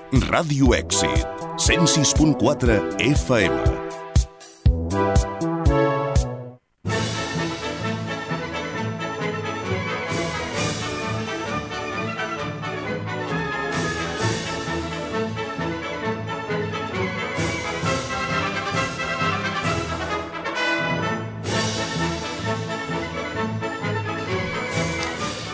Ràdio Èxit, 106.4 FM.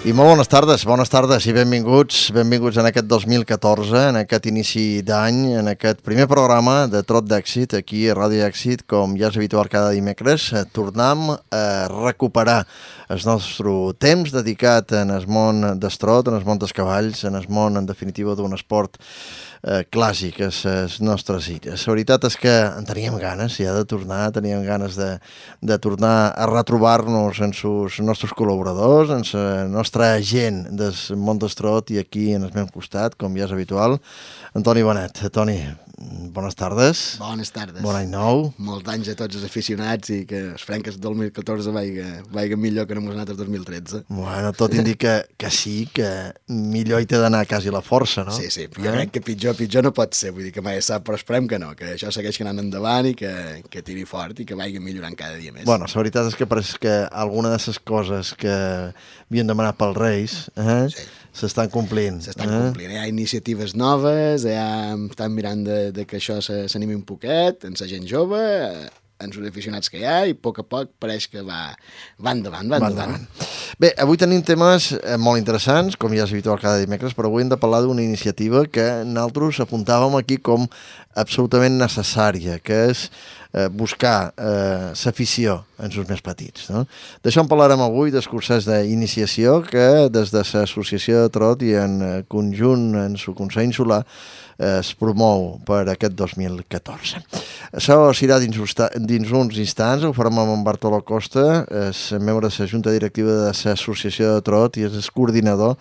I molt bones tardes i benvinguts en aquest 2014, en aquest inici d'any, en aquest primer programa de Trot d'Èxit, aquí a Ràdio Èxit, com ja és habitual cada dimecres. Tornem a recuperar el nostre temps dedicat en el món del trot, en el món dels cavalls, en el món, en definitiva, d'un esport clàssic a les nostres illes. La veritat és que en teníem ganes ja de tornar, teníem ganes de tornar a retrobar-nos amb els nostres col·laboradors, amb la nostra gent del món del trot, i aquí en el meu costat, com ja és habitual, Antoni Bonet. Toni, bones tardes. Bones tardes. Bon any nou. Molts anys a tots els aficionats i que esperem que el 2014 vagi millor que no mos ha anat el 2013. Bueno, tot indica que sí, que millor hi té d'anar quasi la força, no? Sí, jo crec que pitjor no pot ser, vull dir que mai sap, però esperem que no, que això segueix anant endavant i que tiri fort i que vagi millorant cada dia més. Bueno, la veritat és que pareix que alguna de les coses que havien demanat pels Reis s'estan complint. S'estan complint. Hi ha iniciatives noves, estan mirant de que això s'animi un poquet, en la gent jove, en els aficionats que hi ha, i a poc pareix que va endavant. Bé, avui tenim temes molt interessants, com ja és habitual cada dimecres, però avui hem de parlar d'una iniciativa que nosaltres apuntàvem aquí com absolutament necessària, que és buscar l'afició en els més petits. No? D'això en parlarem avui, dels cursos d'iniciació que des de l'Associació de Trot i en conjunt en el Consell Insular es promou per aquest 2014. Això serà dins uns instants, ho farem amb en Bartoló Costa, és membre de la Junta Directiva de l'Associació de Trot i és el coordinador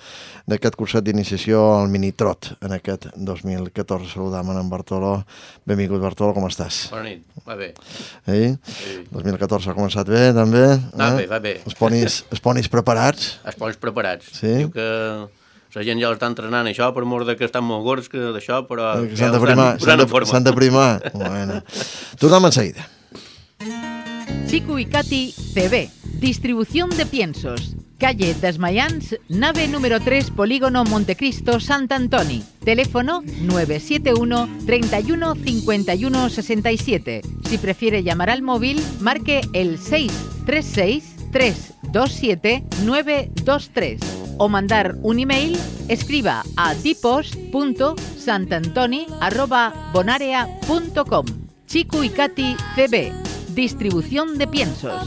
d'aquest curset d'iniciació al Minitrot en aquest 2014. Saludam en Bartoló. Benvingut, Bartoló, com estàs? Bona nit, va bé. Sí? 2014 ha començat bé, també? Va bé. Els ponis preparats? Els ponis preparats. Sí? Diu que la gent ja l'està entrenant això, per mort que estan molt gords d'això, però s'han de primar. Bueno. Tornem en seguida. Chico y Katy CB, distribución de piensos. Calle Desmayans, nave número 3, Polígono Montecristo, Sant Antoni. Teléfono 971 31 51 67. Si prefiere llamar al móvil, marque el 636 327 923. O mandar un email, escriba a tipos.santantoni@bonarea.com. Chico y Katy CB, distribución de piensos.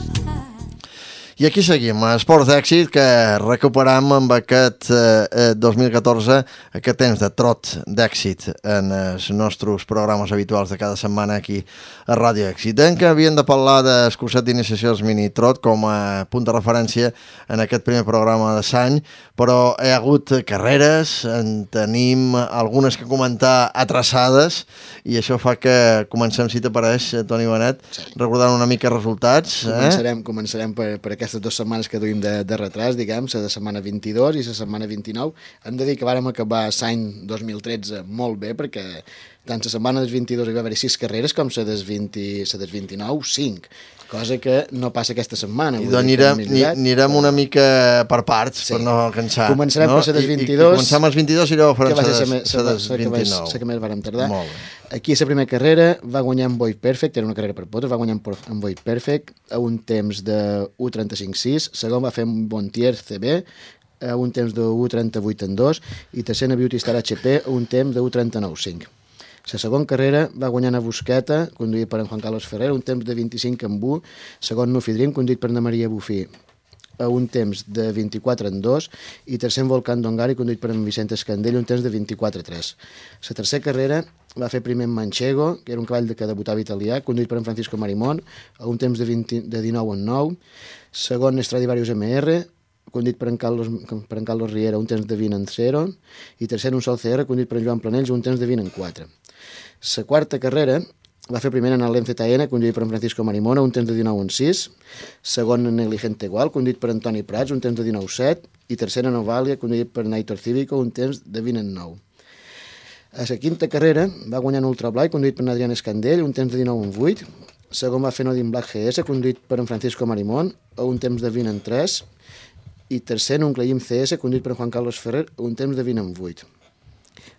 I aquí seguim, esports d'èxit, que recuperam amb aquest 2014 aquest temps de trot d'èxit en els nostres programes habituals de cada setmana aquí a Ràdio Èxit. En que havíem de parlar del curset d'iniciació dels mini-trot com a punt de referència en aquest primer programa de l'any, però hi ha hagut carreres, en tenim algunes que comentar atrasades, i això fa que comencem, si t'apareix, Toni Bonet, recordant una mica resultats. Començarem per aquestes 2 setmanes que duim de retras, diguem, la de setmana 22 i la setmana 29. Hem de dir que vàrem acabar l'any 2013 molt bé, perquè tant la setmana del 22 hi va haver 6 carreres com la del 29, 5. Cosa que no passa aquesta setmana. I doncs anirem una mica per parts, per no cansar. Començarem per la del 22. Començam els 22 i llavors farem la del 29. La que més vàrem tardar. Molt bé. Aquí a la primera carrera va guanyar en Boy Perfect, era una carrera per potes, va guanyar en Boy Perfect a un temps de 1.35.6, segon va fer en Bontier CB a un temps de 1.38.2 i tercera Beauty Star HP a un temps de 1.39.5. La segona carrera va guanyar a Busqueta, conduït per en Juan Carlos Ferrer, un temps de 25.1, segon Nufi Dream, conduït per Ana Maria Bufí, a un temps de 24.2, i tercer en Volcán Dongari, conduït per en Vicente Escandell, un temps de 24.3. La tercera carrera va fer primer en Manchego, que era un cavall que debutava italià, conduït per en Francisco Marimón, a un temps de 19.9. Segon Stradivarius MR, conduït per en Carlos Riera, un temps de 20.0, i tercer un Sol CR, conduït per en Joan Planells, un temps de 20.4. La quarta carrera va fer primer en el l'MZN, conduït per en Francisco Marimona, un temps de 19.6, segon en Negligente Igual, conduït per Antoni Prats, un temps de 19.7, i tercer en Ovalia, conduït per Naitor Cívico, un temps de 20.9. A la quinta carrera va guanyar en Ultra Black, conduït per Adrián Escandell, un temps de 19:08. Segon va fer Nodin Black GS, conduït per en Francisco Marimón, a un temps de 20:03. I tercer, un Clayim CS, conduït per Juan Carlos Ferrer, a un temps de 20:08.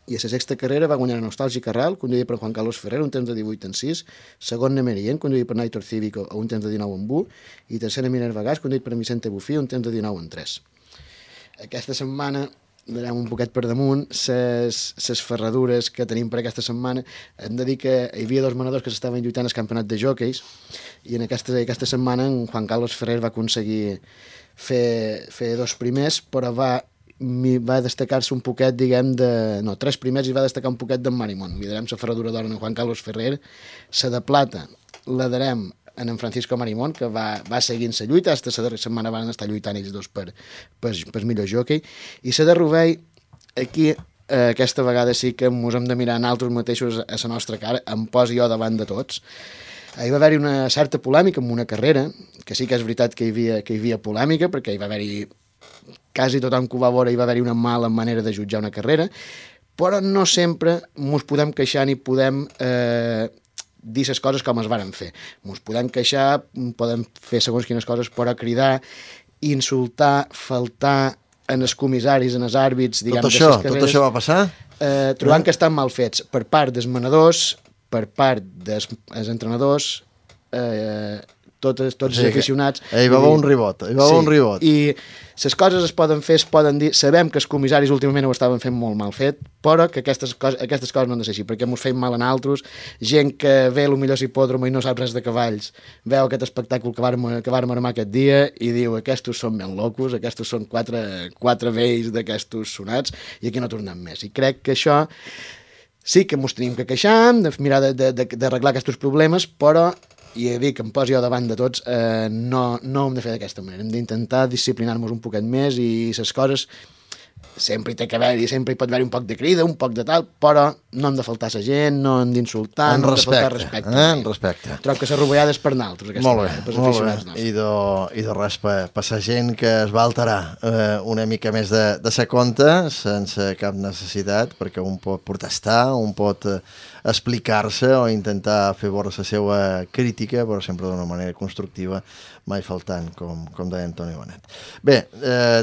I a la sexta carrera va guanyar Nostàlgic Carral, conduït per Juan Carlos Ferrer, un temps de 18:06. Segon, Nemerien, conduït per Naitor Cívico, a un temps de 19:1. I tercer, Minerva Gas, conduït per Vicente Bufí, un temps de 19:3. Aquesta setmana anirem un poquet per damunt les ferradures que tenim per aquesta setmana. Hem de dir que hi havia dos manadors que s'estaven lluitant al campionat de jockeys i en aquesta setmana en Juan Carlos Ferrer va aconseguir fer dos primers, però va destacar-se un poquet, tres primers i va destacar un poquet d'en Marimón. Liderem la ferradura d'or en Juan Carlos Ferrer. La de plata la darem en Francisco Marimón, que va seguint la lluita. Aquesta la darrera setmana van estar lluitant ells dos per millor jockey. I la de Rovell, aquí aquesta vegada sí que ens hem de mirar nosaltres mateixos a la nostra cara, em poso jo davant de tots. Hi va haver-hi una certa polèmica amb una carrera, que sí que és veritat que hi havia polèmica, perquè hi va haver-hi quasi tothom que ho va veure, hi va haver-hi una mala manera de jutjar una carrera, però no sempre ens podem queixar ni podem dir les coses com es varen fer. Ens podem queixar, podem fer segons quines coses, però cridar, insultar, faltar en els comissaris, en els àrbits, diguem, tot això va passar? Trobant que estan mal fets per part dels manadors, per part dels entrenadors, tots els aficionats. Hi va haver un ribot. I les coses es poden fer, es poden dir. Sabem que els comissaris últimament ho estaven fent molt mal fet, però que aquestes coses no han de ser així, perquè ens feim mal a nosaltres, gent que ve potser a l'hipòdromo i no sap res de cavalls, veu aquest espectacle que vàrem armar aquest dia i diu, aquests són ben locos, aquests són quatre vells d'aquestos sonats i aquí no tornem més. I crec que això sí que ens tenim que queixar, de mirar d'arreglar aquests problemes, però i he dit que em posi jo davant de tots, no hem de fer d'aquesta manera, hem d'intentar disciplinar-nos un poquet més i les coses sempre hi té que haver-hi, sempre hi pot haver un poc de crida, un poc de tal, però no hem de faltar a la gent, no hem d'insultar, no hem de faltar respecte. En respecte. Trobo que la rovellada és per nosaltres, molt bé. I de res per la gent que es va alterar una mica més de sa compte, sense cap necessitat, perquè un pot protestar, un pot explicar-se o intentar fer veure la seva crítica, però sempre d'una manera constructiva, mai faltant, com deia Antoni Bonet. Bé,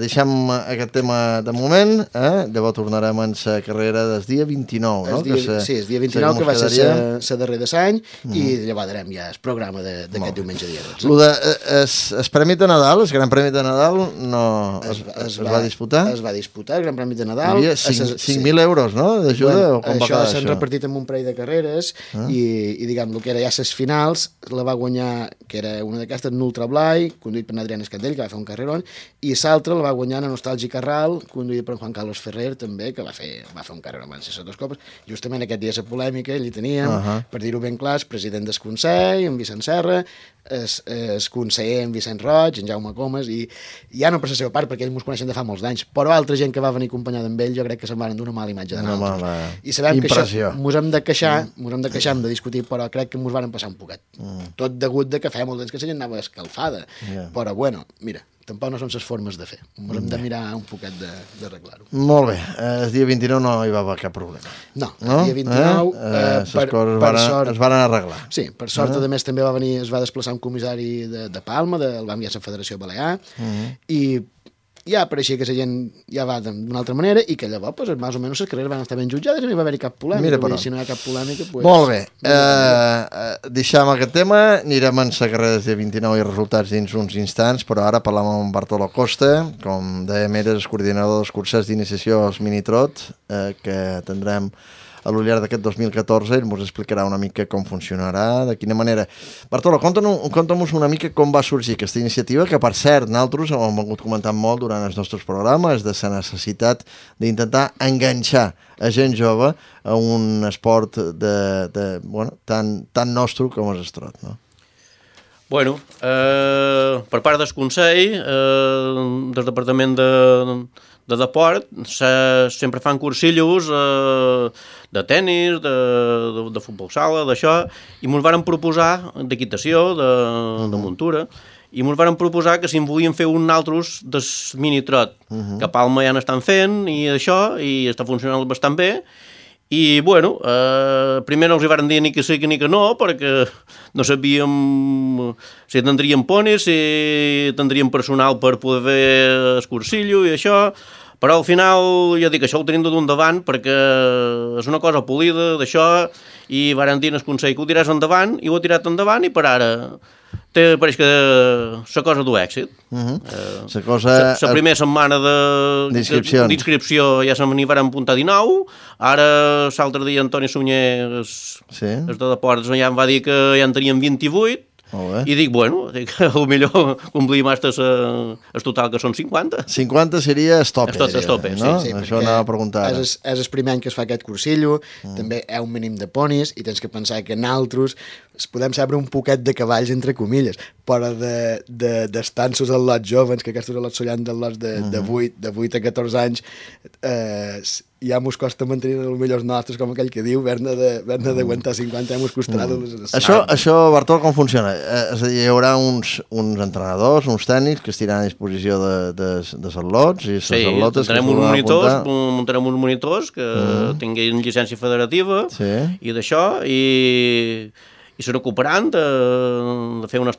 deixem aquest tema de moment, llavors tornarem en la carrera del dia 29, no? Sí, el dia 29, que va ser la darrera d'any, i llavors darem ja el programa d'aquest diumenge dia 12. El Premi de Nadal, el Gran Premi de Nadal, es va disputar? Es va disputar, el Gran Premi de Nadal. Hi havia 5.000 euros, no?, d'ajuda? Això s'han repartit en un parell de carreres, i diguem, el que era ja les finals, la va guanyar, que era una d'aquestes, en Ultra Blai, conduït per Adrián Escandell, que va fer un carrerón, i l'altra la va guanyar en Nostàlgic Carral, conduït per Juan Carlos Ferrer, també, que va fer un carrerón, van ser les dues copes. Justament aquest dia la polèmica, ell hi teníem, per dir-ho ben clar, el president del Consell, en Vicent Serra, el conseller en Vicent Roig, en Jaume Comas, i ja no per la seva part, perquè ells ens coneixen de fa molts d'anys, però altra gent que va venir acompanyada amb ell, jo crec que se'n van donar una mala imatge de nosaltres. I sabem que això ens hem de queixar, hem de discutir, però crec que ens van passar un poquet. Tot degut de que feia molt temps que la gent anava escalfada. Però bueno, mira, tampoc no són les formes de fer. Hem de mirar un poquet d'arreglar-ho. Molt bé. El dia 29 no hi va haver cap problema. No, el dia 29 per sort es van arreglar. Sí, per sort a més també es va desplaçar un comissari de Palma, el va enviar a la Federació Balear, i ja pareixia que la gent ja va d'una altra manera i que llavors, pues, més o menys, les carreres van estar ben jutjades i no hi va haver cap polèmica. Si no hi ha cap polèmica... Pues, molt bé. Deixem aquest tema, anirem en la carrera del 29 i resultats dins uns instants, però ara parlem amb Bartolo Costa, com dèiem, era el coordinador dels cursos d'iniciació als Minitrot, que tindrem a l'Ullard d'aquest 2014, ell ens explicarà una mica com funcionarà, de quina manera. Bartolo, conta'm una mica com va sorgir aquesta iniciativa, que per cert, nosaltres ho hem vingut comentant molt durant els nostres programes, de la necessitat d'intentar enganxar a gent jove a un esport tan nostre com és el trot, no? Bueno, per part del Consell, del Departament de Deport, sempre fan cursillos de tennis, de futbol sala, d'això, i ens varen proposar d'equitació, de muntura, i ens varen proposar que si en volien fer un altres del minitrot, que a Palma ja n'estan fent, i això, i està funcionant bastant bé, I, bueno, primer no els hi van dir ni que sí ni que no, perquè no sabíem si tindríem ponis, si tindríem personal per poder fer el cursillo i això, però al final jo dic això ho tenim de d'un davant perquè és una cosa polida d'això i van dir el Consell que ho tiràs endavant i ho ha tirat endavant i per ara pareix que la cosa du èxit. La primera setmana d'inscripció ja se n'hi van apuntar 19, ara l'altre dia Antoni Sunyer, el de Deportes, ja em va dir que ja en teníem 28, i dic, bueno, millor complim hasta el total que són 50. 50 seria el tope, no? Sí, això anava a preguntar. És el primer any que es fa aquest cursillo, també hi ha un mínim de ponis, i tens que pensar que nosaltres podem saber un poquet de cavalls, entre comilles, però d'estanços als lots jovens, que aquests lots són dels lots de 8 a 14 anys, ja mos costa mantenir els millors nostres, com aquell que diu, haver-ne d'aguantar 50, ja mos costarà. Això, Bartol, com funciona? És a dir, hi haurà uns entrenadors, uns tècnics que estiran a disposició de les atlots i les atlotes que muntarem uns monitors que tinguin llicència federativa i d'això, i se n'ocuparan de fer unes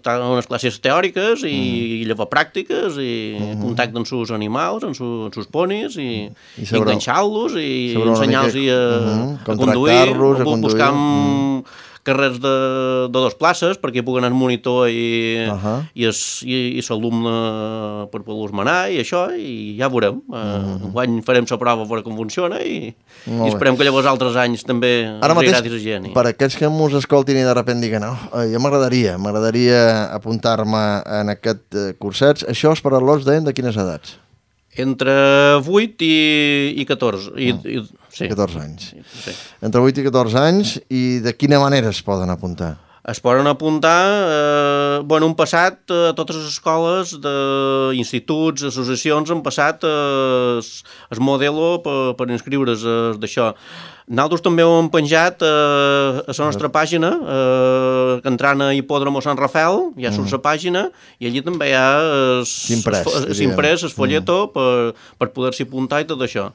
classes teòriques i llevar pràctiques i contacte amb els animals, amb els ponis i enganxar-los i ensenyar-los a conduir, buscar carrers de 2 places perquè hi puguen anar el monitor i l'alumne per poder-los manar i això, i ja veurem. Enguany farem la prova a veure com funciona i esperem que llavors altres anys també ens agradi la gent. Per aquests que mos escoltin i de sobte diguen jo m'agradaria apuntar-me en aquest curset, això és per a los de quines edats? Entre 8 i 14. 14 anys. Entre 8 i 14 anys, i de quina manera es poden apuntar? Es poden apuntar, han passat totes les escoles d'instituts, associacions, han passat el modelo per inscriure's d'això. Nosaltres també ho hem penjat a la nostra pàgina, que entrant a Hipòdromo Sant Rafael, ja surt la pàgina, i allí també hi ha l'imprès, el folleto, per poder-s'hi apuntar i tot això.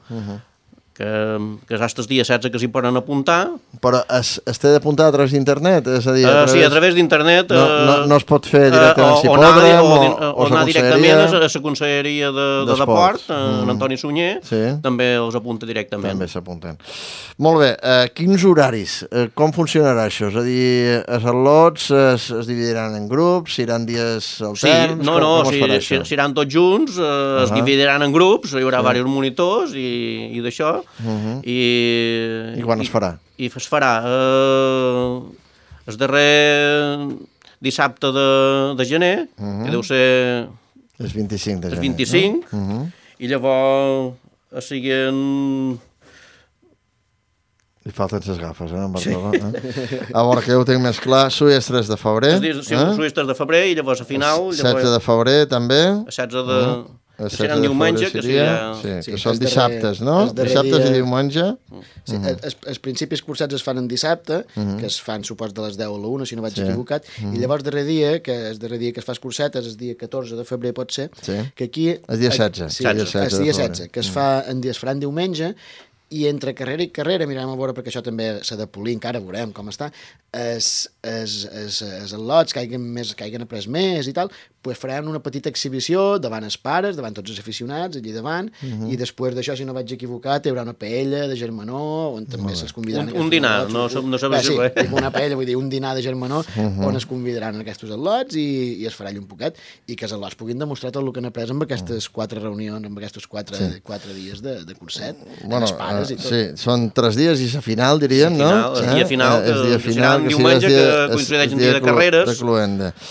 Que és fins el dia 16 que s'hi poden apuntar. Però es té d'apuntar a través d'internet? És a dir, sí, a través d'internet. No es pot fer directament a Hipòdrom o anar directament a la Conselleria de Deport, en Antoni Sunyer, també els apunta directament. També s'apunten. Molt bé, quins horaris? Com funcionarà això? És a dir, els atlots es dividiran en grups, seran dies alterns? Seran tots junts, es dividiran en grups, hi haurà diversos monitors i d'això. I quan es farà? I es farà el darrer dissabte de gener, que deu ser el 25 de gener. El 25, i llavors siguin... Li falten les gafes, en Bartolomé. A veure, que jo ho tinc més clar. Sui és 3 de febrer. Sí, Sui és 3 de febrer, i llavors a final... 16 de febrer, també. A 16 de... Serà diumenge, que són dissabtes, no? Dissabtes i diumenge. Els principis cursats es fan en dissabte, que es fan, supos, de les 10 a la 1, si no vaig equivocat, i llavors darrer dia, que és darrer dia que es fa el curset, és el dia 14 de febrer, pot ser, que aquí... El dia 16. Sí, el dia 16, que es faran diumenge, i entre carrera i carrera, mirem a veure, perquè això també s'ha de polir, encara veurem com està, els al·lots que hagin après més i tal, pues faran una petita exhibició davant els pares, davant tots els aficionats, allí davant, i després d'això, si no vaig equivocat, hi haurà una paella de germanor, on també se'ls convidaran... Un dinar, no sabeu si res. Una paella, vull dir, un dinar de germanor, on es convidaran aquests al·lots i es farà allà un poquet, i que els al·lots puguin demostrar tot el que han après amb aquestes 4 reunions, amb aquests 4 dies de curset, amb els pares i tot. Sí, són 3 dies i la final, diríem, no? El dia final, que serà un diumenge que coincideix en dia de carreres,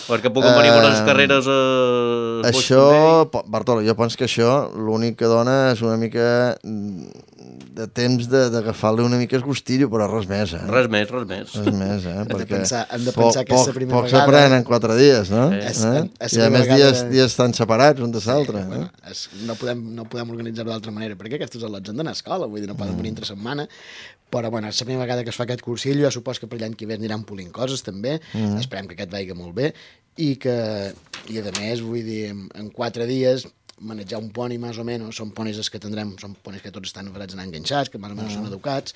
perquè puguin venir per les carreres. Això, Bartolo, jo penso que això l'únic que dona és una mica de temps d'agafar-li una mica el gustillo, però res més, eh? Res més. Hem de pensar que és la primera vegada... Poc s'aprèn en 4 dies, no? I a més dies tan separats un de l'altre. No podem organitzar-ho d'altra manera, perquè aquests al·lots han d'anar a escola, vull dir, no poden venir entre setmana, però bueno, és la primera vegada que es fa aquest cursillo, jo supos que per l'any que ve aniran polint coses també, esperem que aquest vagi molt bé, i a més, vull dir, en 4 dies manejar un poni més o menys, són ponis que tindrem, són ponis que tots estan operats anar enganxats, que més o menys són educats,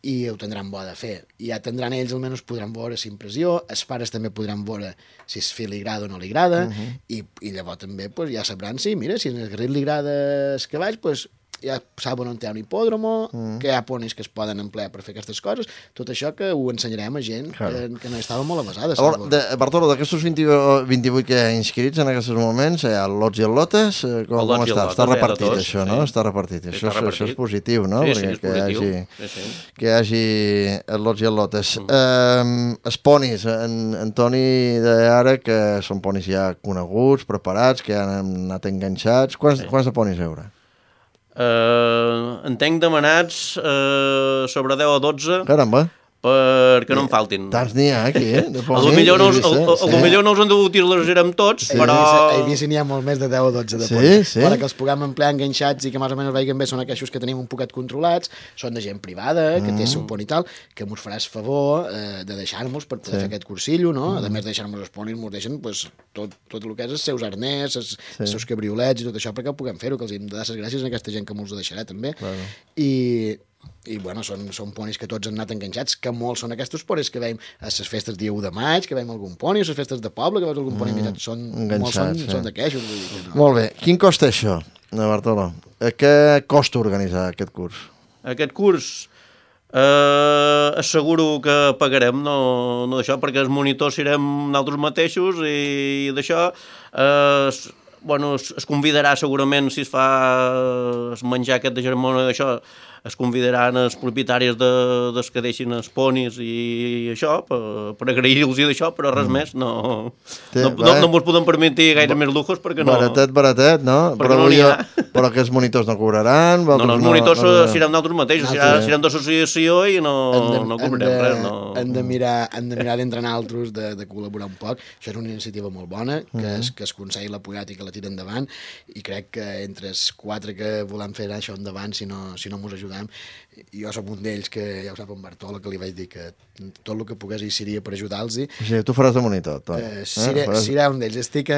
i ho tindran bo de fer. I ja tindran ells, almenys podran veure si impressió, els pares també podran veure si el fill li agrada o no li agrada, i llavors també pues, ja sabran si, mira, si al Garrit li agrada els cavalls, pues, ja saben on hi ha un hipòdromo, que hi ha ponis que es poden emplear per fer aquestes coses, tot això que ho ensenyarem a gent que no estava molt avasada. Bartolo, d'aquestos 28 que hi ha inscrits en aquests moments, hi ha lots i lotes, com està? Està repartit això, no? Està repartit. Això és positiu, no? Sí, és positiu. Que hi hagi lots i lotes. Els ponis, en Toni deia ara que són ponis ja coneguts, preparats, que han anat enganxats. Quants de ponis hi haurà? En tenc demanats sobre 10 o 12. Caramba. Perquè no en faltin. Tants n'hi ha aquí, A lo millor no us han dut utilitzarem tots, però... A Eivissa n'hi ha molt més de 10 o 12 de ponis. Però que els puguem emplear enganxats i que més o menys vegin bé són aquells que tenim un poquet controlats, són de gent privada, que té el seu poni i tal, que mos faràs favor de deixar-nos per poder fer aquest cursillo, no? A més de deixar-nos els ponis, mos deixen tot el que és els seus arnès, els seus cabriolets i tot això perquè ho puguem fer-ho, que els hem de dar les gràcies a aquesta gent que mos ho deixarà també. I bueno, són ponis que tots han anat enganxats, que molts són aquests ponis que veiem a les festes dia 1 de maig, que veiem algun poni, a les festes de poble, que veus algun poni enganxat, són d'aquestos. Molt bé. Quin costa això, Bartolo? Què costa organitzar aquest curs? Aquest curs asseguro que pagarem, no d'això, perquè els monitors serem nosaltres mateixos i d'això... Bueno, es convidarà segurament, si es fa es menjar aquest de germona d'això, es convidaran els propietaris dels que deixin els ponis i això, per agrair-los i d'això, però res més, no ens podem permetir gaire més lujos perquè no... Baratet, no? Però que els monitors no cobraran? No, els monitors seran nosaltres mateixos, seran d'associació i no cobrarem res. Hem de mirar d'entrar altres, de col·laborar un poc. Això és una iniciativa molt bona, que es Consell l'ha apoyat i que la tira endavant, i crec que entre els 4 que volem fer això endavant, si no mos ajudem, jo soc un d'ells que ja ho sap en Bartolo, que li vaig dir que tot el que pogués hi seria per ajudar-los. Sí, tu faràs de monitor, Toni. Serà un d'ells. Estic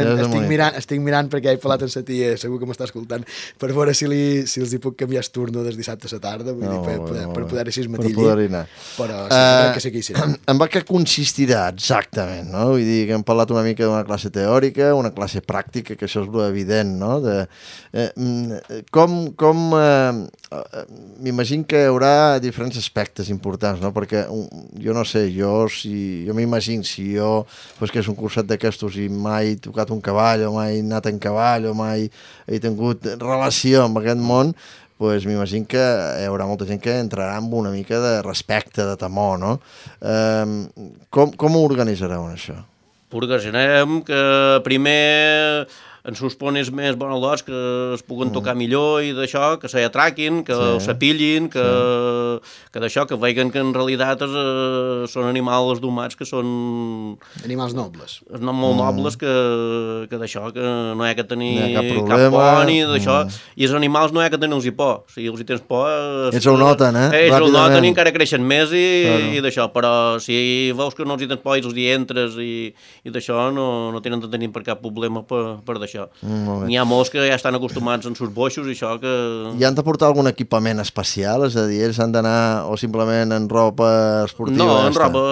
mirant perquè he parlat amb la tia, segur que m'està escoltant, per veure si els hi puc canviar el turno des dissabte a la tarda, per poder així matillir. Però crec que sí que hi serà. En què consistirà exactament, no? Vull dir que hem parlat una mica d'una classe teòrica, una classe pràctica, que això és evident, no? M'imagino que hi haurà diferents aspectes importants, no? Perquè jo no sé, jo m'imagino si jo fos que és un curset d'aquestos i mai he tocat un cavall o mai he anat en cavall o mai he tingut relació amb aquest món, doncs m'imagino que hi haurà molta gent que entrarà amb una mica de respecte, de temor, no? Com ho organitzareu, això? Organitzarem que primer en sus ponis més bonalots que es puguen tocar millor i d'això, que s'atraquin, que s'apillin, que d'això, que vegin que en realitat són animals domats que són... Animals nobles. Molt nobles, que d'això, que no hi ha que tenir cap por ni d'això. I els animals no hi ha que tenir-los por. Si els hi tens por... Ells ho noten, Ells ho noten i encara creixen més i d'això. Però si veus que no els hi tens por i els hi entres i d'això, no tenen de tenir per cap problema per d'això. N'hi ha molts que ja estan acostumats en sus boixos i això que... I han de portar algun equipament especial? És a dir, ells han d'anar o simplement en roba esportiva? No, en roba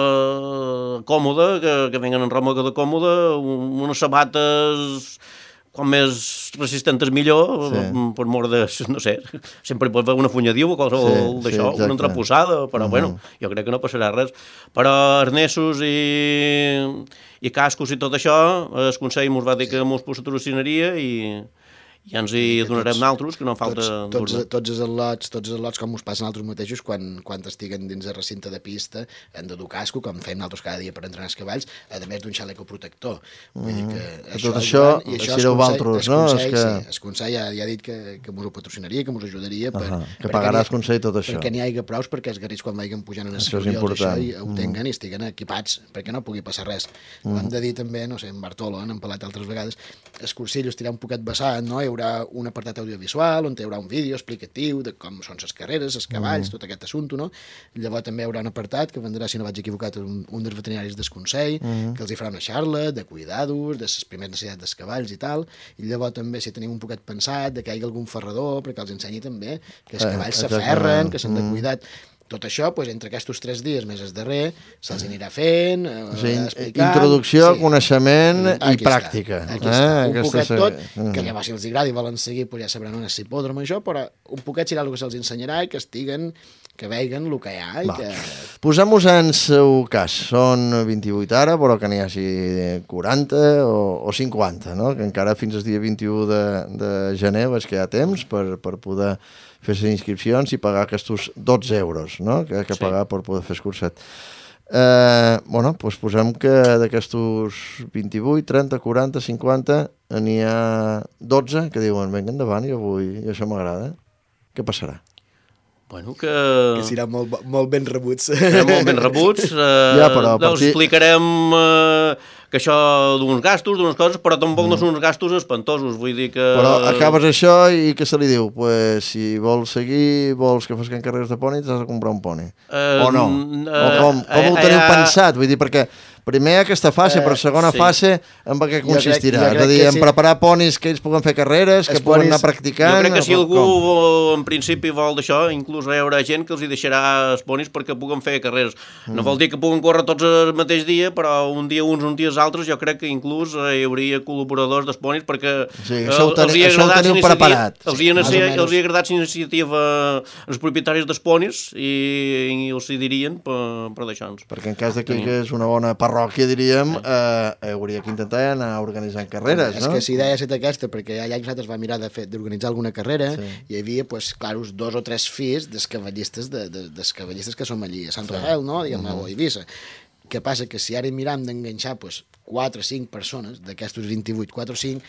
còmoda, que venguen en roba còmoda, unes sabates com més resistentes millor, per mort de, no sé, sempre pot haver una funyadiu o qualsevol d'això, una entreposada, però bueno, jo crec que no passarà res. Però arnesos i cascos i tot això, el Consell ens va dir que ens patrocinaria i ens hi donarem naltros, que no falta... Tots els al·lots, com us passen altres mateixos, quan estiguen dins el recinte de pista, han de dur casco, com fem nosaltres cada dia per entrenar els cavalls, a més d'un xaleco protector. Vull dir que tot això sereu vosaltres, no? El Consell ja ha dit que ens ho patrocinaria, que ens ajudaria. Que pagarà el Consell tot això. Perquè n'hi hagi prous perquè els garrits, quan vagin pujant en els carriols, ho tinguen i estiguen equipats, perquè no pugui passar res. Ho hem de dir també, no sé, en Bartolo, n'hem parlat altres vegades, el cursill estirà un poquet vessant, no? Hi haurà un apartat audiovisual on hi haurà un vídeo explicatiu de com són les carreres, els cavalls, tot aquest assumpte, no? Llavors també hi haurà un apartat que vendrà, si no vaig equivocat, un dels veterinaris del Consell, que els hi farà una xarra de cuidar-los, de les primeres necessitats dels cavalls i tal, i llavors també si tenim un poquet pensat de que hi hagi algun ferrador perquè els ensenyi també que els cavalls s'aferren, que s'han de cuidar. tot això, entre aquests 3 dies més el darrer, se'ls anirà fent, explicant... Introducció, coneixement i pràctica. Aquí està, un poquet tot, que llavors si els agrada i volen seguir, ja sabran on és l'hipòdrom, això, però un poquet serà el que se'ls ensenyarà i que estiguen, que vegin el que hi ha. Posem-nos en seu cas. Són 28 ara, però que n'hi hagi 40 o 50, no? Que encara fins al dia 21 de gener veig que hi ha temps per poder fer les inscripcions i pagar aquests 12 euros, no? Que pagar per poder fer el curset. Doncs posem que d'aquests 28, 30, 40, 50 n'hi ha 12 que diuen, vinga endavant, jo vull, i això m'agrada. Què passarà? Bueno, que seran molt ben rebuts. Seran molt ben rebuts. Els explicarem que això d'uns gastos, d'unes coses, però tampoc no són uns gastos espantosos, vull dir que... Però acabes això i què se li diu? Pues si vols seguir, vols que fosquen carreres de poni, t'has de comprar un poni. O no? O com ho teniu pensat? Vull dir, perquè primer aquesta fase, però segona fase, en què consistirà? És a dir, en preparar ponis que ells puguen fer carreres, que puguen anar practicant... Jo crec que si algú en principi vol d'això, inclús hi haurà gent que els hi deixarà els ponis perquè puguen fer carreres. No vol dir que puguen córrer tots el mateix dia, però un dia uns, un dia els altres, jo crec que inclús hi hauria col·laboradors dels ponis perquè això ho teniu preparat. Els hi ha agradat l'iniciativa als propietaris dels ponis i els hi dirien per deixar-nos. Perquè en cas que és una bona parròquia, diríem, hauria que intentar anar organitzant carreres, no? És que si idea és aquesta, perquè allà nosaltres va mirar d'organitzar alguna carrera, hi havia, clar, 2 o 3 fills dels cavallistes que som allí a Sant Rafael, no? Diguem, a Eivissa. Què passa? Que si ara miram d'enganxar 4 o 5 persones, d'aquests 28, 4 o 5,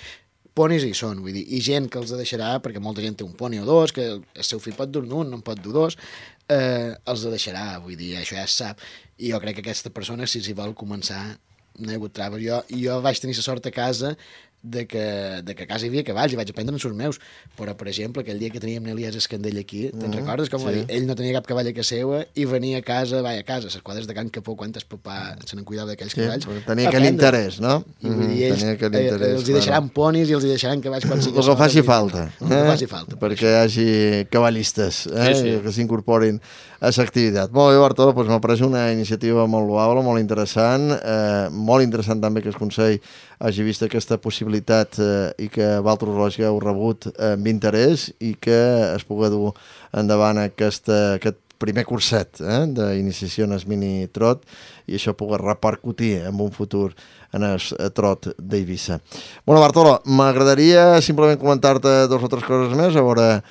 ponis hi són, vull dir, i gent que els deixarà, perquè molta gent té un poni o 2, que el seu fill pot dur un, no en pot dur 2, els deixarà, vull dir, això ja es sap. I jo crec que aquesta persona, si s'hi vol començar, no hi ha hagut traves. Jo vaig tenir la sort a casa de que a casa hi havia cavalls i vaig aprendre en els meus, però per exemple aquell dia que teníem l'Elias Escandell aquí, te'n recordes com va dir? Ell no tenia cap cavall a casa seva i venia a casa, les quadres de Can Capó, quantes papà se n'en cuidava d'aquells cavalls, tenia aquell interès, no? I vull dir, ells els hi deixaran ponis i els hi deixaran cavalls quan sigui el que faci falta, perquè hi hagi cavallistes que s'incorporin a l'activitat. Molt bé, Bartolo, doncs m'ha pareix una iniciativa molt loable, molt interessant també que el Consell hagi vist aquesta possibilitat i que vosaltres l'heu rebut amb interès i que es pugui dur endavant aquest primer curset d'iniciació en el mini-trot i això pugui repercutir en un futur en el trot d'Eivissa. Bueno, Bartolo, m'agradaria simplement comentar-te 2 o 3 coses més, a veure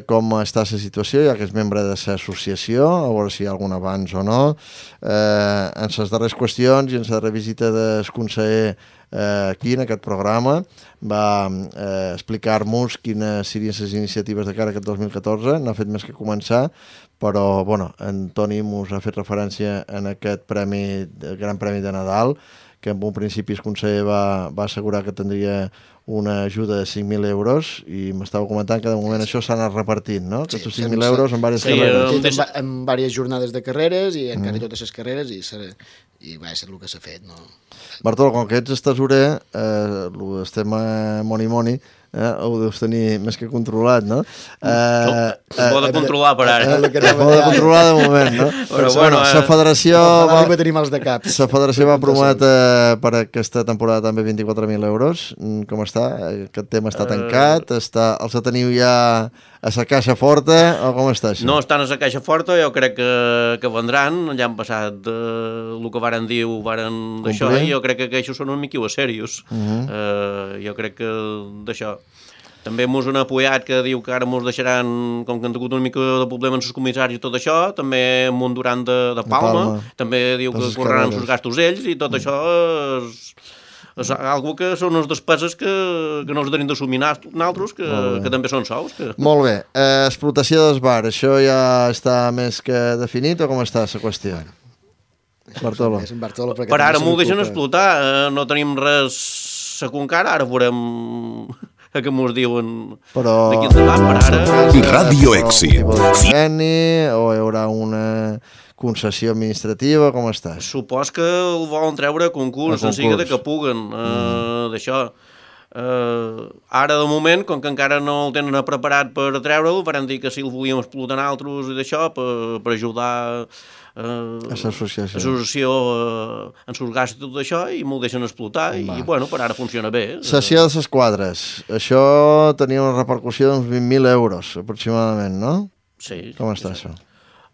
com està la situació, ja que és membre de l'associació, a veure si hi ha algun avanç o no. En les darreres qüestions i en la darrera visita del conseller aquí en aquest programa va explicar-nos quines serien les iniciatives de cara a aquest 2014, no ha fet més que començar, però bueno, en Toni mos ha fet referència en aquest Gran Premi de Nadal, que en un principi el conseller va assegurar que tindria una ajuda de 5.000 euros i m'estava comentant que de moment això s'ha anat repartint, no? Aquests 5.000 euros en diverses carreres. En diverses jornades de carreres i en quasi totes les carreres i va ser el que s'ha fet, no? Bartolo, com que ets tesorer, el tema moni-moni ho deus tenir més que controlat, no? Ho pot controlar per ara. Ho pot controlar de moment, no? Però bueno, la federació va prometre per aquesta temporada també 24.000 euros. Com està? Aquest tema està tancat? Els teniu ja a la caixa forta o com està això? No estan a la caixa forta, jo crec que vendran. Ja han passat el que varen dir, ho varen d'això, i jo crec que això són una mica serios. Jo crec que d'això. També mos han apoyat que diu que ara mos deixaran, com que han tingut una mica de problema amb els comissaris i tot això, també amb un Duran de Palma, també diu que correran els gastos ells i tot això és algo que són les despeses que no els tenim d'assumir nosaltres, que també són sous. Molt bé. Explotació del bar, això ja està més que definit o com està la qüestió? Bartolo. Per ara m'ho deixen explotar, no tenim res segur encara, ara veurem que mos diuen d'aquí endavant, per ara. Radio Èxit. O hi haurà una concessió administrativa, com està? Supos que el volen treure a concurs, en siga de que puguen, d'això. Ara, de moment, com que encara no el tenen preparat per treure'l, van dir que si el volíem explotar altres i d'això, per ajudar l'associació en sus gastos i tot això, i m'ho deixen explotar, i bueno, per ara funciona bé. Sessió de les quadres. Això tenia una repercussió d'uns 20.000 euros, aproximadament, no? Sí. Com està això?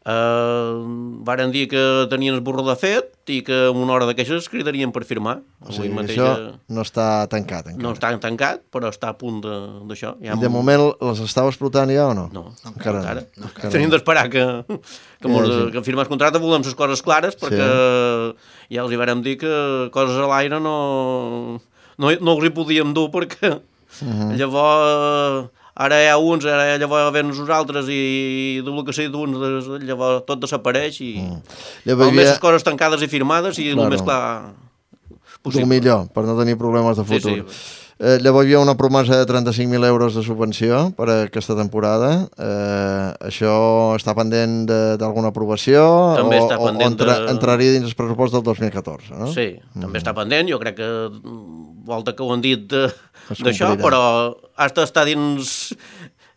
Varen dir que tenien el borró de fet i que en una hora de queixes cridarien per firmar. O sigui, això no està tancat encara. No està tancat, però està a punt d'això. I de moment les estava explotant ja o no? No, encara. Tenim d'esperar que firmar el contracte, volem les coses clares, perquè ja els hi vàrem dir que coses a l'aire no els hi podíem dur, perquè llavors... Ara hi ha uns, ara llavors ven nosaltres i del que sé d'uns, llavors tot desapareix i almenys les coses tancades i firmades i el més clar possible. El millor, per no tenir problemes de futur. Sí. Llavors hi havia una promesa de 35.000 euros de subvenció per a aquesta temporada. Això està pendent d'alguna aprovació? També està pendent entraria dins el pressupost del 2014, no? Sí, també està pendent. Jo crec que volta que ho han dit d'això, però està dins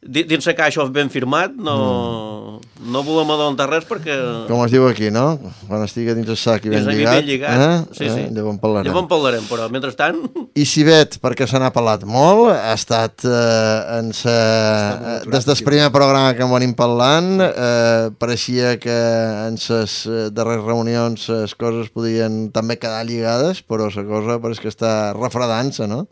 la caixa ben firmat, no volem adontar res perquè... Com es diu aquí, no? Quan estigui dins el sac i ben lligat. Sí. Llavors en parlarem, però mentrestant... I Cibet, perquè se n'ha parlat molt, ha estat des del primer programa que en venim parlant, pareixia que en les darreres reunions les coses podien també quedar lligades, però la cosa pareix que està refredant-se, no?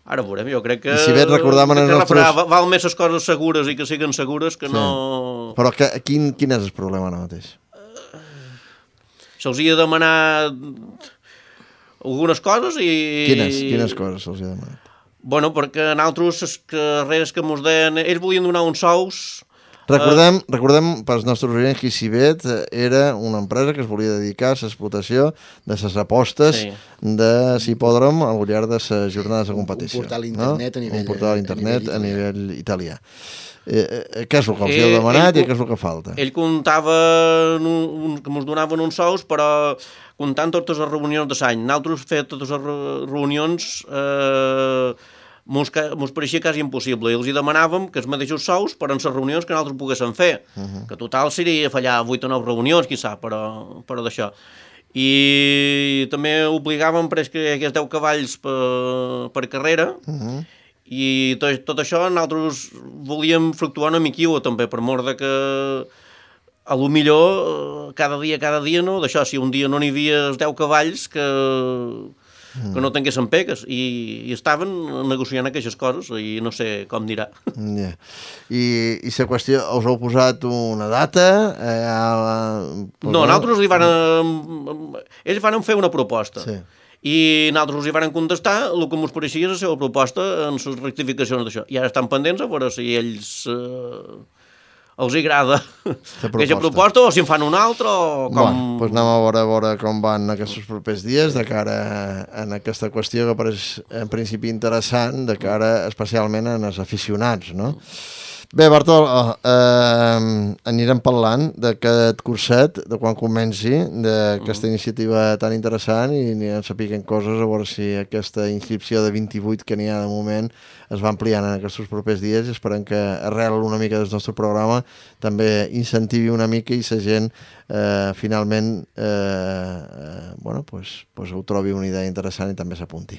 Ara veurem, jo crec que... I si bé recordaven els nostres... Val més les coses segures i que siguin segures que no... Però quin és el problema ara mateix? Se'ls hi ha demanat algunes coses i... Quines coses se'ls hi ha demanat? Bueno, perquè en altres les carreres que mos deien... Ells volien donar uns sous... Recordem pels nostres oients que Cibet era una empresa que es volia dedicar a l'explotació de les apostes de l'hipòdrom al llarg de les jornades de competició. Un portal internet a nivell italià. Què és el que els heu demanat i què és el que falta? Ell comptava que ens donaven uns sous, però comptant totes les reunions de l'any. Nosaltres fem totes les reunions... mos pareixia quasi impossible i els hi demanàvem que els mateixos sous per en les reunions que nosaltres poguéssim fer, que total seria fallar 8 o 9 reunions, qui sap, però d'això. I també obligàvem que hi hagués 10 cavalls per carrera, i tot això nosaltres volíem fluctuar una miquilla també, per mort de que a lo millor cada dia no, d'això, si un dia no n'hi havia 10 cavalls que no tinguessin pegues, i estaven negociant aquestes coses i no sé com dirà. I la qüestió, us heu posat una data? No, nosaltres ells van fer una proposta i nosaltres hi van contestar el que ens pareixia la seva proposta en les rectificacions d'això, i ara estan pendents a veure si ells els agrada aquesta proposta o si en fan una altra o com... Bueno, doncs anem a veure com van aquests propers dies de cara a aquesta qüestió que pareix en principi interessant de cara especialment als aficionats, no? Bé, Bartol, anirem parlant d'aquest curset, de quan comenci, d'aquesta iniciativa tan interessant, i anirem sapiguent coses a veure si aquesta inscripció de 28 que n'hi ha de moment es va ampliant en aquests propers dies, i esperem que arrel una mica del nostre programa també incentivi una mica i la gent finalment ho trobi una idea interessant i també s'apunti.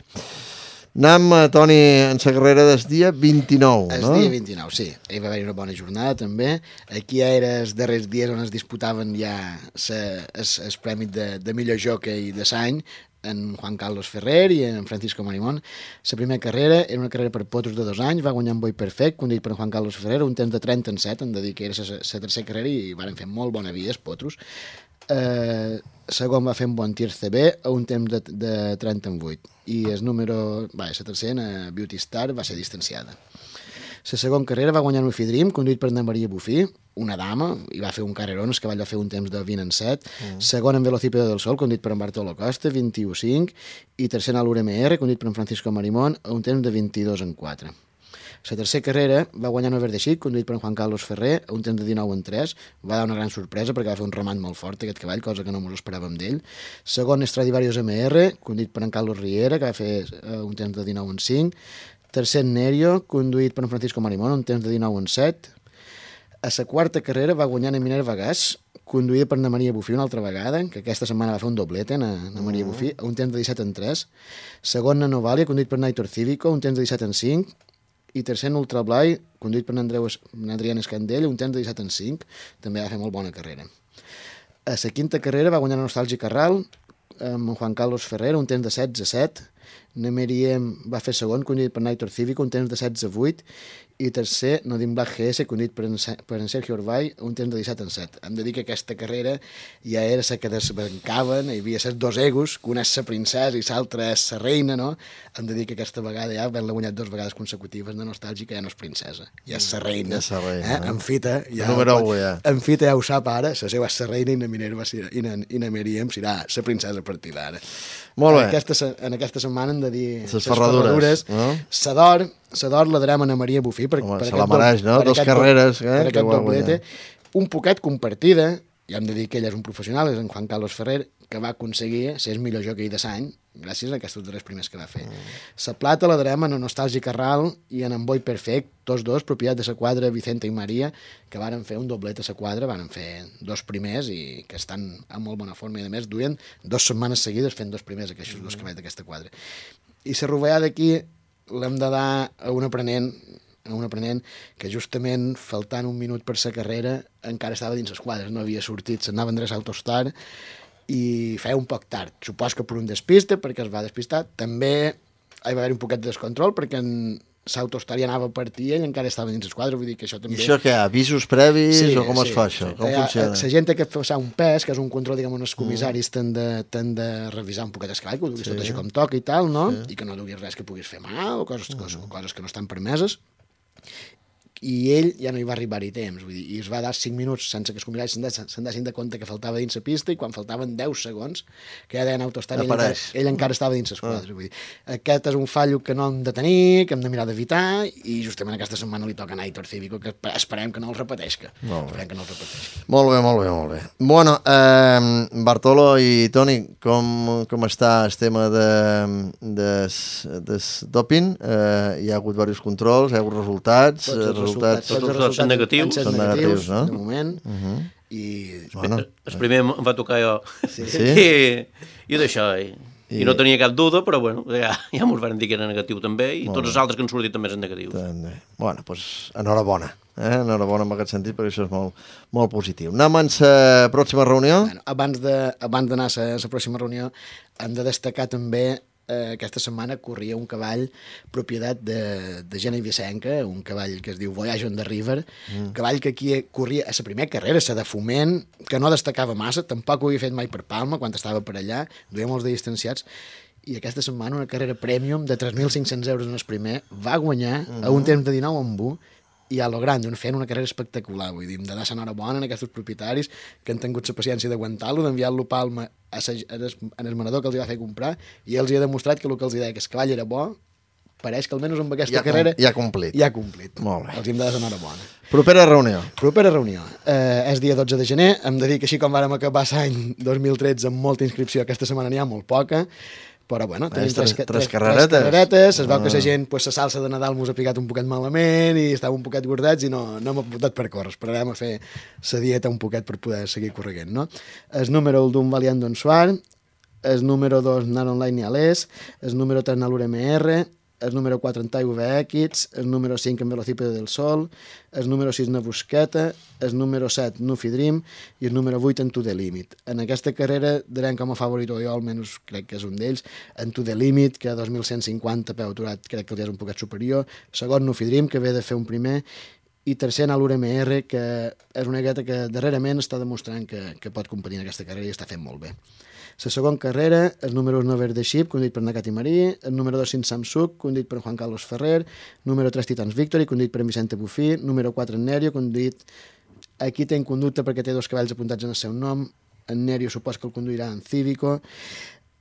Anem, Toni, en la carrera del dia 29, no? El dia 29, sí. Hi va haver una bona jornada, també. Aquí era els darrers dies on es disputaven ja el premi de millor jockey de l'any, en Juan Carlos Ferrer i en Francisco Marimón. La primera carrera era una carrera per potros de 2 anys, va guanyar en Boi Perfect, conduït per Juan Carlos Ferrer, un temps de 37, hem de dir que era la tercera carrera i van fer molt bona vida, els potros. Segon va fer un bon tir CB a un temps de 38 i el número, la tercera, Beauty Star, va ser distanciada. La segona carrera va guanyar Ufi Dream, conduït per Ana Maria Bufí, una dama, i va fer un carrerón, el cavall va fer un temps de 20-7. Segon en Velocípedo del Sol, conduït per en Bartolo Costa, 21-5, i tercer en l'URMR, conduït per en Francisco Marimón, a un temps de 22-4. La tercera carrera va guanyar Nover de Xic, conduït per en Juan Carlos Ferrer, a un temps de 19:3. Va dar una gran sorpresa perquè va fer un remat molt fort aquest cavall, cosa que no ens esperàvem d'ell. Segon, Stradivarius MR, conduït per en Carlos Riera, que va fer un temps de 19:5. Tercer, Nerio, conduït per en Francisco Marimón, un temps de 19:7. A la quarta carrera va guanyar en Minerva Gas, conduïda per na Maria Bufí una altra vegada, que aquesta setmana va fer un doblete, na Maria Bufí, a un temps de 17:3. Segon, na Novalia, conduït per Naitor Cívico, un temps de 17:5. I tercer, Ultra Blai, conduït per Adrián Escandell, un temps de 17:5. També va fer molt bona carrera. A la quinta carrera va guanyar Nostàlgic Carral, amb Juan Carlos Ferrer, un temps de 16:7. Nemeriem va fer segon, conduït per Naitor Cívico, un temps de 16:8. I tercer, Nodim Black GS, conduït per en Sergio Orbay, un temps de 17:7. Hem de dir que aquesta carrera ja era la que desbancaven, hi havia els dos egos, que una és la princesa i l'altra és la reina, no? Hem de dir que aquesta vegada ja havent-la guanyat 2 vegades consecutives de Nostàlgica ja no és princesa, ja és la reina. Ja és la reina, En fita, ja, número 1, ja. En fita ja ho sap ara, la seva és la reina i na Minerva i na Míriam serà la princesa a partir d'ara. Molt bé. En aquesta setmana hem de dir Les ferradures, no? S'ador la drama a Maria Bufí per se la mereix, no? 2 carreres, per que aquest va doblete. guanyar. Un poquet compartida, ja hem de dir que ell és un professional, és en Juan Carlos Ferrer, que va aconseguir ser el millor jockey de l'any gràcies a aquests 3 primers que va fer. La plata la darem en Nostàlgic Carral i en Boi Perfect, tots dos, propietat de la quadra Vicente i Maria, que varen fer un doblet a la quadra, varen fer 2 primers i que estan en molt bona forma i a més duien 2 setmanes seguides fent 2 primers aquests 2 cavalls d'aquesta quadra. I la rovellada d'aquí l'hem de dar a un aprenent que justament faltant un minut per la carrera encara estava dins les quadres, no havia sortit, s'anava a endreçar al Tostar i feia un poc tard. Supos que per un despiste, perquè es va despistar. També hi va haver un poquet de descontrol perquè l'Autostar ja anava a partir i ell encara estava dins les quadres, vull dir que això també... I això què, avisos previs o com es fa això? Com funciona? La gent té que passar un pes, que és un control, diguem, on els comissaris t'han de revisar un poquet el cavall, que ho duguis tot així com toca i tal, no? I que no duguis res que puguis fer mal o coses que no estan permeses. I ell ja no hi va arribar-hi temps, vull dir, i es va dar 5 minuts sense que els comissaris se'n dessin de compte que faltava dins la pista, i quan faltaven 10 segons, que ja deien Autostar, ell encara estava dins les quadres. Vull dir, aquest és un fallo que no hem de tenir, que hem de mirar d'evitar, i justament aquesta setmana li toca a Naitor Cívico, que esperem que no el repeteixi. Molt bé. Bueno, Bartolo i Toni, com està el tema de doping? Hi ha hagut diversos controls, hi ha hagut resultats... Tots els resultats són negatius. Són negatius, no? De moment. I el primer em va tocar jo. Sí. I d'això. I no tenia cap duda, però bueno, ja m'ho van dir que era negatiu també, i tots els altres que han sortit també són negatius. Bueno, doncs enhorabona. Enhorabona en aquest sentit, perquè això és molt positiu. Anem a la pròxima reunió? Abans d'anar a la pròxima reunió, hem de destacar també aquesta setmana corria un cavall propietat de Gena Vicenca, un cavall que es diu Voyage on the River, cavall que aquí corria a la primera carrera, la de Foment, que no destacava massa, tampoc ho havia fet mai per Palma quan estava per allà, duia molts de distanciats, i aquesta setmana una carrera premium de 3.500 euros en el primer, va guanyar a un temps de 19:1 i a lo grande, fent una carrera espectacular, vull dir, hem de dar l'enhorabona a aquests propietaris que han tingut la paciència d'aguantar-lo, d'enviar-lo a Palma en el manador que els va fer comprar, i els hi ha demostrat que el que els deia que el cavall era bo, pareix que almenys amb aquesta carrera ja ha complit. Molt bé. Els hem de dar l'enhorabona. Propera reunió. És dia 12 de gener, hem de dir que així com vàrem acabar l'any 2013 amb molta inscripció, aquesta setmana n'hi ha molt poca, però bueno, tenim tres carreretes, es veu que la gent, la salsa de Nadal mos ha picat un poquet malament i estàvem un poquet gordats i no hem apuntat per córrer, esperarem a fer la dieta un poquet per poder seguir correguent, no? El número 1 d'un Valiant Don Suar, el número 2 Nar Online i Alès, el número 3 Nalur MR, el número 4 en Taiwe X, el número 5 en Velocípedo del Sol, el número 6 en Busqueta, el número 7 Nufi Dream i el número 8 en To The Limit. En aquesta carrera darem com a favorit, o jo almenys crec que és un d'ells, en To The Limit, que a 2.150 peu aturat crec que el dia és un poquet superior, segon Nufi Dream, que ve de fer un primer, i tercer Nalur MR, que és una gueta que darrerament està demostrant que pot competir en aquesta carrera i està fent molt bé. La segona carrera, el número 1 Nover de Ship, conduït per Nakati Marí, el número 2 Sin Samsung, conduït per Juan Carlos Ferrer, número 3 Titans Victory, conduït per Vicente Bufí, número 4 Nerio, conduït... Aquí té en conducta perquè té 2 cavalls apuntats en el seu nom, en Nerio supos que el conduirà en Cívico,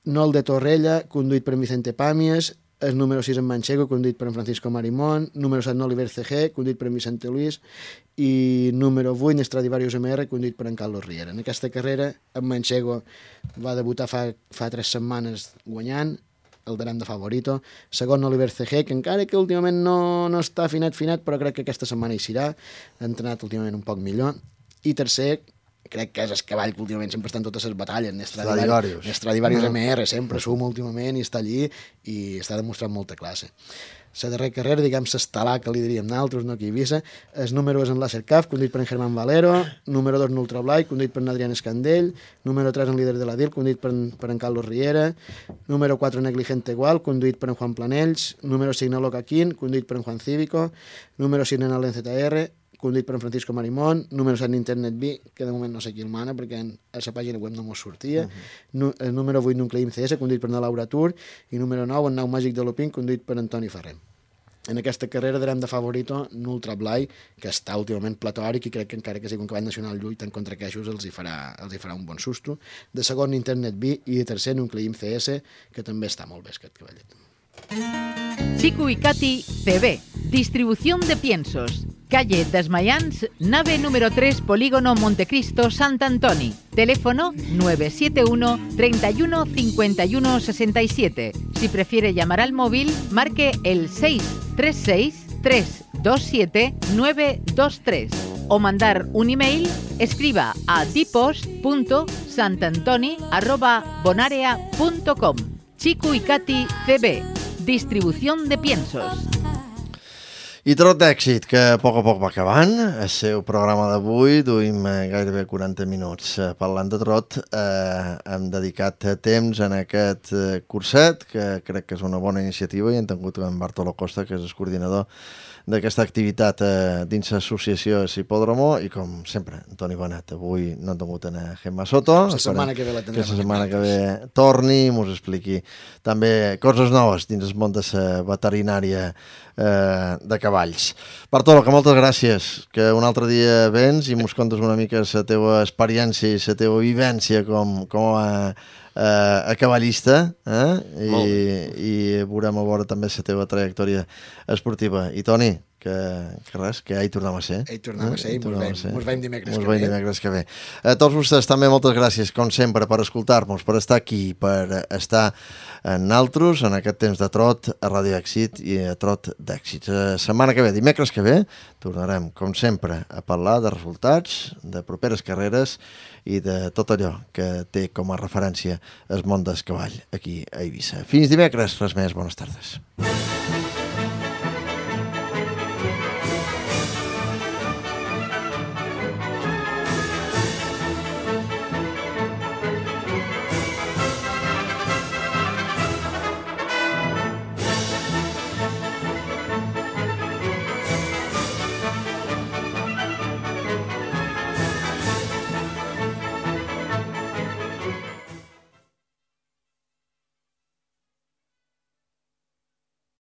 Nol de Torrella, conduït per Vicente Pàmies, el número 6 en Manchego, conduït per en Francisco Marimón, número 7 en Oliver CG, conduït per en Vicente Luis, i número 8 en Stradivarius MR, conduït per en Carlos Riera. En aquesta carrera, en Manchego va debutar fa 3 setmanes guanyant, el darem de favorito. Segon, Oliver CG, que encara que últimament no està finat, però crec que aquesta setmana hi serà. Ha entrenat últimament un poc millor. I tercer, crec que és el cavall que últimament sempre està en totes les batalles, Stradivarius MR, sempre suma últimament i està allí i està demostrant molta classe. La darrera carrera, diguem, l'estalà que li diríem nosaltres, no aquí a Eivissa, el número 1 és en Lacercaf, conduït per en Germán Valero, número 2 en Ultrablai, conduït per en Adrián Escandell, número 3 en Líder de la DIL, conduït per en Carlos Riera, número 4 en Negligente Igual, conduït per en Juan Planells, número 5 en Locaquín, conduït per en Juan Cívico, número 6 en Alen ZR, conduït per en Francisco Marimón, número 7 en Internet B, que de moment no sé qui el mana perquè a la pàgina web no mos sortia, el número 8 en Nucleim CS, conduït per en Laura Tour, i número 9 en Nau Màgic de Lopín, conduït per Antoni Ferrer. En aquesta carrera darem de favorito en Ultrablai, que està últimament platòric i crec que encara que sigui un cavall nacional lluitant contra queixos els hi farà un bon susto. De segon, Internet B, i de tercer, Nucleim CS, que també està molt bé aquest cavallet. Chico y Katy CB, distribución de piensos. Calle Desmayans, nave número 3, Polígono Montecristo, Sant Antoni. Teléfono 971 31 51 67. Si prefiere llamar al móvil, marque el 636 327 923 o mandar un email, escriba a dipost.santantoni@bonarea.com. Chico y Katy CB, distribución de piensos. I Trot d'èxit, que a poc va acabant. El seu programa d'avui duim gairebé 40 minuts parlant de trot. Hem dedicat temps en aquest curset, que crec que és una bona iniciativa, i hem tingut en Bartolo Costa, que és el coordinador d'aquesta activitat dins l'associació Hipòdromo, i com sempre, Antoni Benet. Avui no hem tingut a Gemma Soto. La setmana que ve la tindrem. Que la setmana que ve torni i mos expliqui també coses noves dins el món de la veterinària de cavalls. Bartolo, que moltes gràcies, que un altre dia vens i mos contes una mica la teva experiència i la teva vivència com a cavallista, i veurem a veure també la teva trajectòria esportiva. I Toni, que res, que hi tornem a ser. Hi tornem a ser i mos veiem dimecres que ve. A tots vostès també moltes gràcies, com sempre, per escoltar-nos, per estar aquí, per estar en naltros, en aquest temps de trot, a Ràdio Èxit i a Trot d'Èxit. La setmana que ve, dimecres que ve, tornarem, com sempre, a parlar de resultats, de properes carreres i de tot allò que té com a referència el món del cavall aquí a Eivissa. Fins dimecres, res més, bones tardes.